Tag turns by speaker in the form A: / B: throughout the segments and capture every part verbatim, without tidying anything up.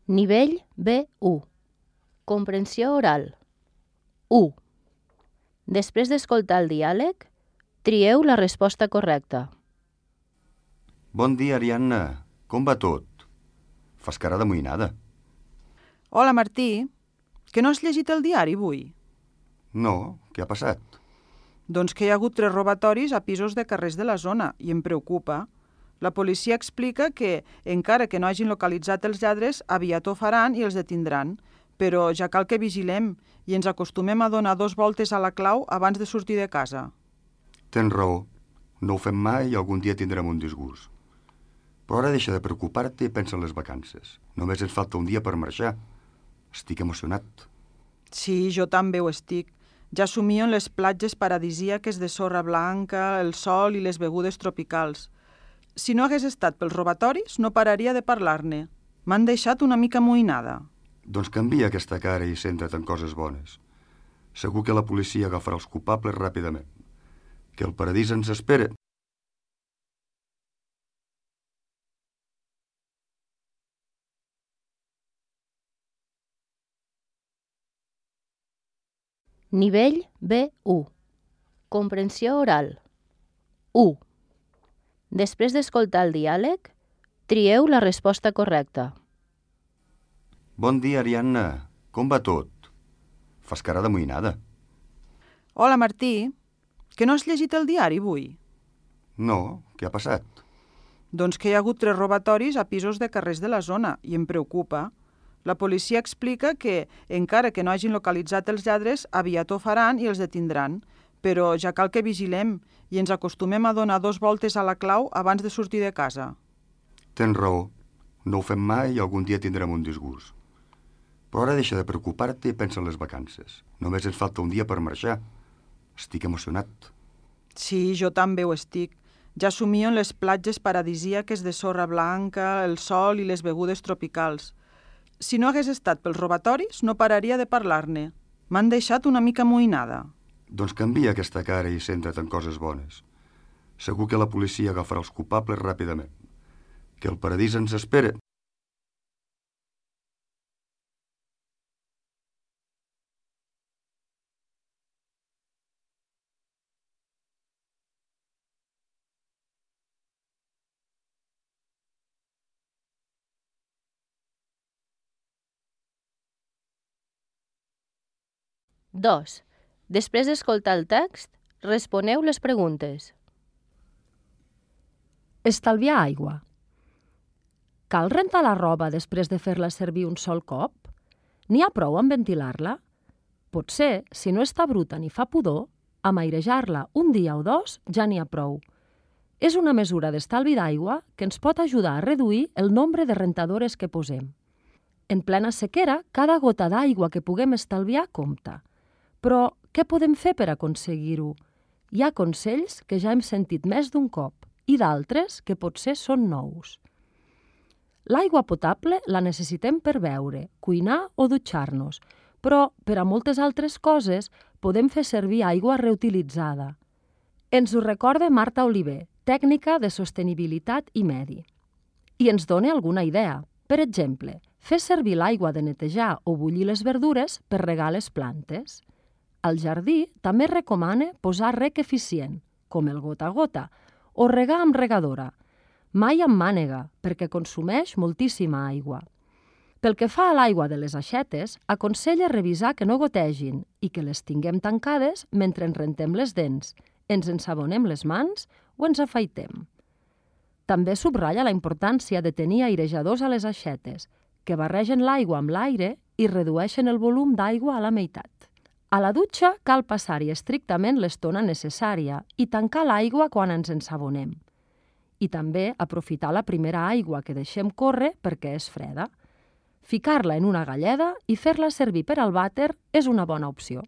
A: Nivell B u. Comprensió oral. u. Després d'escoltar el diàleg, trieu la resposta correcta.
B: Bon dia, Ariadna. Com va tot? Fas cara d'amoïnada.
C: Hola, Martí. Que no has llegit el diari avui?
B: No, què ha passat?
C: Doncs que hi ha hagut tres robatoris a pisos de carrers de la zona i em preocupa. La policia explica que, encara que no hagin localitzat els lladres, aviat ho faran i els detindran. Però ja cal que vigilem i ens acostumem a donar dos voltes a la clau abans de sortir de casa.
B: Tens raó. No ho fem mai i algun dia tindrem un disgust. Però ara deixa de preocupar-te i pensa en les vacances. Només ens falta un dia per marxar. Estic emocionat.
C: Sí, jo també ho estic. Ja somio en les platges paradisíaques de sorra blanca, el sol i les begudes tropicals. Si no hagués estat pels robatoris, no pararia de parlar-ne. M'han deixat una mica amoïnada.
B: Doncs canvia aquesta cara i centra't en coses bones. Segur que la policia agafarà els culpables ràpidament. Que el paradís ens espera.
A: Nivell B u. Comprensió oral. u. Després d'escoltar el diàleg, trieu la resposta correcta.
B: Bon dia, Ariadna. Com va tot? Fas cara d'amoïnada.
C: Hola, Martí. Que no has llegit el diari avui?
B: No, què ha passat?
C: Doncs que hi ha hagut tres robatoris a pisos de carrers de la zona i em preocupa. La policia explica que, encara que no hagin localitzat els lladres, aviat ho faran i els detindran. Però ja cal que vigilem i ens acostumem a donar dos voltes a la clau abans de sortir de casa.
B: Tens raó. No ho fem mai i algun dia tindrem un disgust. Però ara deixa de preocupar-te i pensa en les vacances. Només ens falta un dia per marxar. Estic emocionat.
C: Sí, jo també ho estic. Ja somio en les platges paradisíaques de sorra blanca, el sol i les begudes tropicals. Si no hagués estat pels robatoris, no pararia de parlar-ne. M'han deixat una mica amoïnada.
B: Doncs canvia aquesta cara i centra't en coses bones. Segur que la policia agafarà els culpables ràpidament. Que el paradís ens espera.
A: dos. Després d'escoltar el text, responeu les preguntes.
D: Estalviar aigua. Cal rentar la roba després de fer-la servir un sol cop? N'hi ha prou amb ventilar-la? Potser, si no està bruta ni fa pudor, amb airejar-la un dia o dos ja n'hi ha prou. És una mesura d'estalvi d'aigua que ens pot ajudar a reduir el nombre de rentadores que posem. En plena sequera, cada gota d'aigua que puguem estalviar compta. Però què podem fer per aconseguir-ho? Hi ha consells que ja hem sentit més d'un cop i d'altres que potser són nous. L'aigua potable la necessitem per beure, cuinar o dutxar-nos, però per a moltes altres coses podem fer servir aigua reutilitzada. Ens ho recorda Marta Oliver, tècnica de sostenibilitat i medi. I ens dona alguna idea. Per exemple, fer servir l'aigua de netejar o bullir les verdures per regar les plantes. Al jardí també recomana posar rec eficient, com el gota a gota, o regar amb regadora, mai amb mànega, perquè consumeix moltíssima aigua. Pel que fa a l'aigua de les aixetes, aconsella revisar que no gotegin i que les tinguem tancades mentre ens rentem les dents, ens ensabonem les mans o ens afaitem. També subratlla la importància de tenir airejadors a les aixetes, que barregen l'aigua amb l'aire i redueixen el volum d'aigua a la meitat. A la dutxa cal passar-hi estrictament l'estona necessària i tancar l'aigua quan ens ensabonem. I també aprofitar la primera aigua que deixem córrer perquè és freda. Ficar-la en una galleda i fer-la servir per al vàter és una bona opció.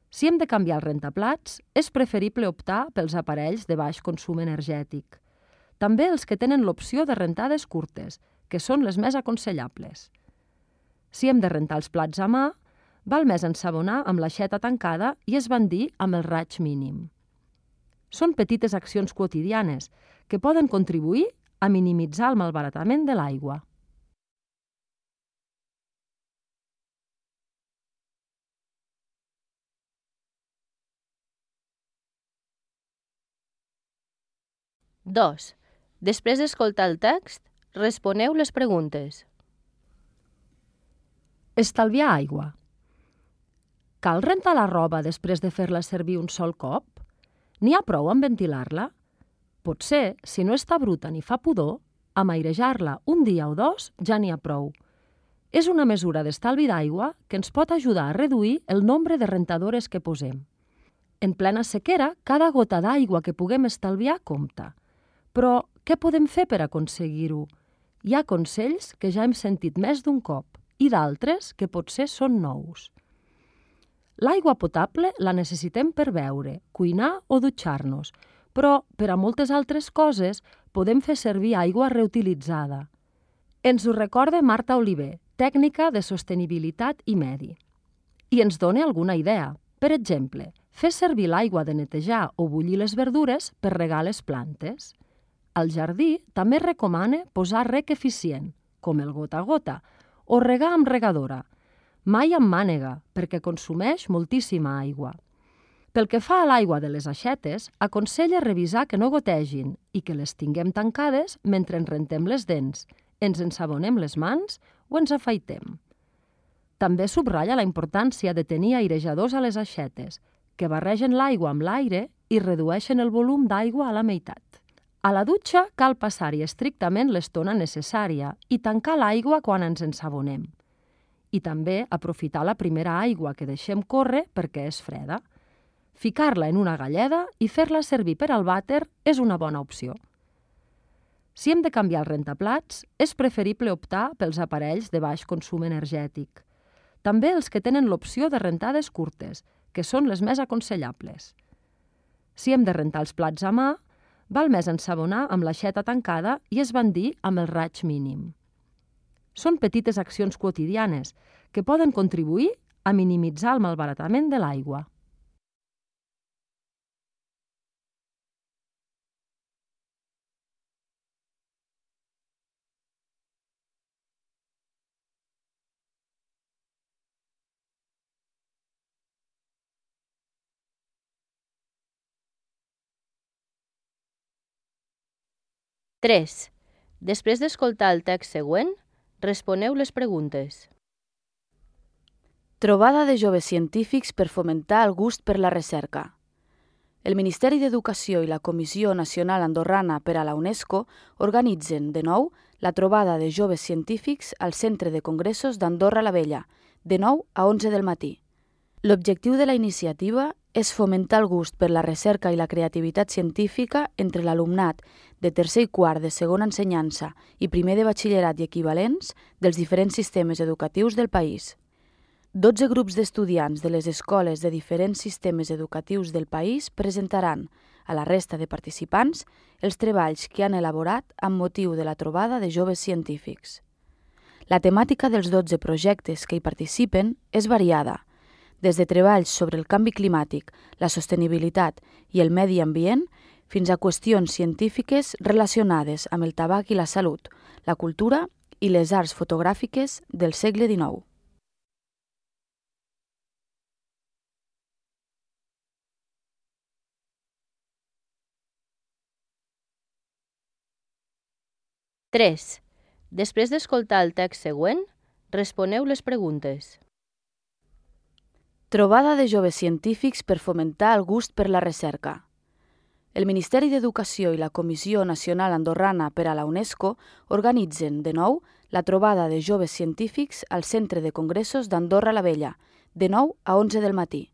D: Si hem de canviar el rentaplats, és preferible optar pels aparells de baix consum energètic. També els que tenen l'opció de rentades curtes, que són les més aconsellables. Si hem de rentar els plats a mà, val més ensabonar amb l'aixeta tancada i esbandir amb el raig mínim. Són petites accions quotidianes que poden contribuir a minimitzar el malbaratament de l'aigua.
A: dos. Després d'escoltar el text, responeu les preguntes.
D: Estalviar aigua. Cal rentar la roba després de fer-la servir un sol cop? N'hi ha prou amb ventilar-la? Potser, si no està bruta ni fa pudor, amb airejar-la un dia o dos ja n'hi ha prou. És una mesura d'estalvi d'aigua que ens pot ajudar a reduir el nombre de rentadores que posem. En plena sequera, cada gota d'aigua que puguem estalviar compta. Però què podem fer per aconseguir-ho? Hi ha consells que ja hem sentit més d'un cop i d'altres que potser són nous. L'aigua potable la necessitem per beure, cuinar o dutxar-nos, però per a moltes altres coses podem fer servir aigua reutilitzada. Ens ho recorda Marta Oliver, tècnica de sostenibilitat i medi. I ens dona alguna idea. Per exemple, fer servir l'aigua de netejar o bullir les verdures per regar les plantes. Al jardí també recomana posar rec eficient, com el gota a gota, o regar amb regadora, mai amb mànega, perquè consumeix moltíssima aigua. Pel que fa a l'aigua de les aixetes, aconsella revisar que no gotegin i que les tinguem tancades mentre ens rentem les dents, ens ensabonem les mans o ens afaitem. També subratlla la importància de tenir airejadors a les aixetes, que barregen l'aigua amb l'aire i redueixen el volum d'aigua a la meitat. A la dutxa cal passar-hi estrictament l'estona necessària i tancar l'aigua quan ens ensabonem. I també aprofitar la primera aigua que deixem córrer perquè és freda. Ficar-la en una galleda i fer-la servir per al vàter és una bona opció. Si hem de canviar el rentaplats, és preferible optar pels aparells de baix consum energètic. També els que tenen l'opció de rentades curtes, que són les més aconsellables. Si hem de rentar els plats a mà, val més ensabonar amb l'aixeta tancada i esbandir amb el raig mínim. Són petites accions quotidianes que poden contribuir a minimitzar el malbaratament de l'aigua.
A: tres. Després d'escoltar el text següent, responeu les preguntes.
E: Trobada de joves científics per fomentar el gust per la recerca. El Ministeri d'Educació i la Comissió Nacional Andorrana per a la UNESCO organitzen, de nou, la trobada de joves científics al Centre de Congressos d'Andorra la Vella, de nou a onze del matí. L'objectiu de la iniciativa és fomentar el gust per la recerca i la creativitat científica entre l'alumnat de tercer i quart de segona ensenyança i primer de batxillerat i equivalents dels diferents sistemes educatius del país. dotze grups d'estudiants de les escoles de diferents sistemes educatius del país presentaran a la resta de participants els treballs que han elaborat amb motiu de la trobada de joves científics. La temàtica dels dotze projectes que hi participen és variada, des de treballs sobre el canvi climàtic, la sostenibilitat i el medi ambient, fins a qüestions científiques relacionades amb el tabac i la salut, la cultura i les arts fotogràfiques del segle dinou.
A: tres. Després d'escoltar el text següent, responeu les preguntes.
E: Trobada de joves científics per fomentar el gust per la recerca. El Ministeri d'Educació i la Comissió Nacional Andorrana per a la UNESCO organitzen, de nou, la trobada de joves científics al Centre de Congressos d'Andorra la Vella, de nou a onze del matí.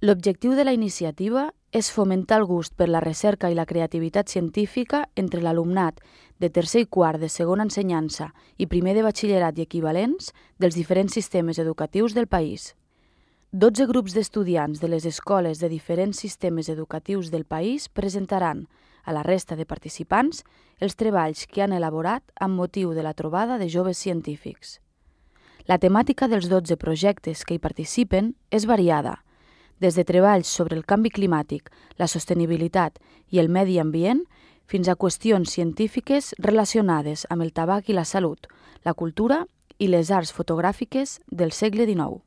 E: L'objectiu de la iniciativa és fomentar el gust per la recerca i la creativitat científica entre l'alumnat de tercer i quart de segona ensenyança i primer de batxillerat i equivalents dels diferents sistemes educatius del país. dotze grups d'estudiants de les escoles de diferents sistemes educatius del país presentaran a la resta de participants els treballs que han elaborat amb motiu de la trobada de joves científics. La temàtica dels dotze projectes que hi participen és variada, des de treballs sobre el canvi climàtic, la sostenibilitat i el medi ambient, fins a qüestions científiques relacionades amb el tabac i la salut, la cultura i les arts fotogràfiques del segle dinou.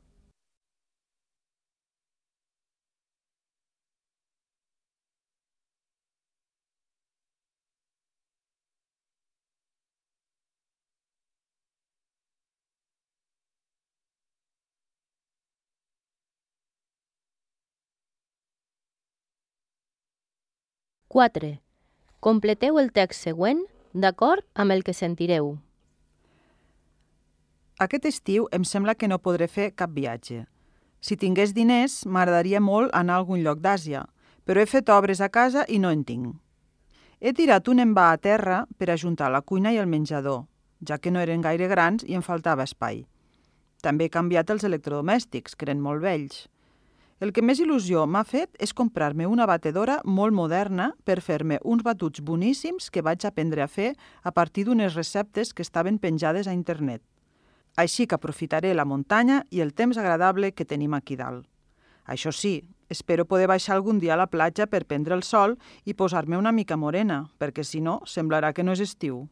A: quatre. Completeu el text següent d'acord amb el que sentireu.
C: Aquest estiu em sembla que no podré fer cap viatge. Si tingués diners, m'agradaria molt anar a algun lloc d'Àsia, però he fet obres a casa i no en tinc. He tirat un envà a terra per ajuntar la cuina i el menjador, ja que no eren gaire grans i em faltava espai. També he canviat els electrodomèstics, que eren molt vells. El que més il·lusió m'ha fet és comprar-me una batedora molt moderna per fer-me uns batuts boníssims que vaig aprendre a fer a partir d'unes receptes que estaven penjades a internet. Així que aprofitaré la muntanya i el temps agradable que tenim aquí dalt. Això sí, espero poder baixar algun dia a la platja per prendre el sol i posar-me una mica morena, perquè si no, semblarà que no és estiu.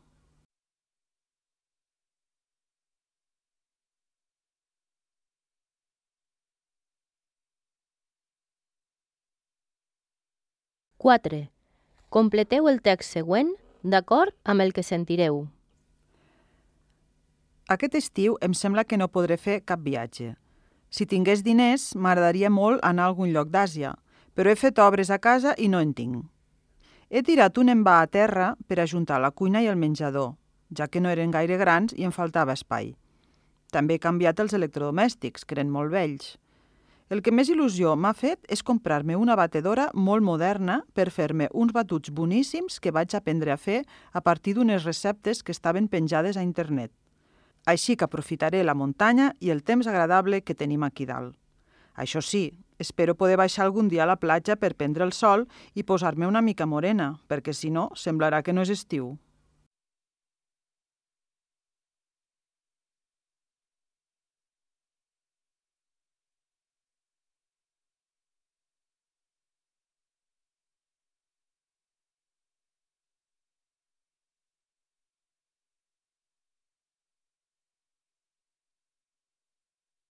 A: quatre. Completeu el text següent d'acord amb el que sentireu.
C: Aquest estiu em sembla que no podré fer cap viatge. Si tingués diners, m'agradaria molt anar a algun lloc d'Àsia, però he fet obres a casa i no en tinc. He tirat un envà a terra per ajuntar la cuina i el menjador, ja que no eren gaire grans i em faltava espai. També he canviat els electrodomèstics, que eren molt vells. El que més il·lusió m'ha fet és comprar-me una batedora molt moderna per fer-me uns batuts boníssims que vaig aprendre a fer a partir d'unes receptes que estaven penjades a internet. Així que aprofitaré la muntanya i el temps agradable que tenim aquí dalt. Això sí, espero poder baixar algun dia a la platja per prendre el sol i posar-me una mica morena, perquè si no, semblarà que no és estiu.